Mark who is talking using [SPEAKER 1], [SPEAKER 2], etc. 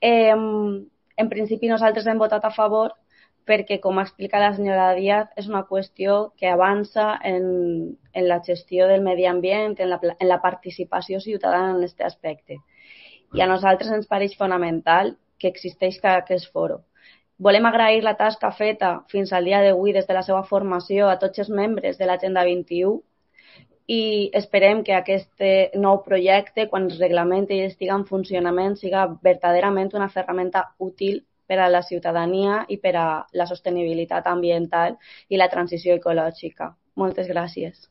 [SPEAKER 1] En principi nosaltres hem votat a favor perquè, com ha explicat la senyora Díaz, és una qüestió que avança en la gestió del medi ambient, en la participació ciutadana en aquest aspecte. I a nosaltres ens pareix fonamental que existeix aquest foro. Volem agrair la tasca feta fins al dia d'avui des de la seva formació a tots els membres de l'Agenda 21 i esperem que aquest nou projecte, quan es reglamenti i estigui en funcionament, siga verdaderament una ferramenta útil per a la ciutadania i per a la sostenibilitat ambiental i la transició ecològica. Moltes gràcies.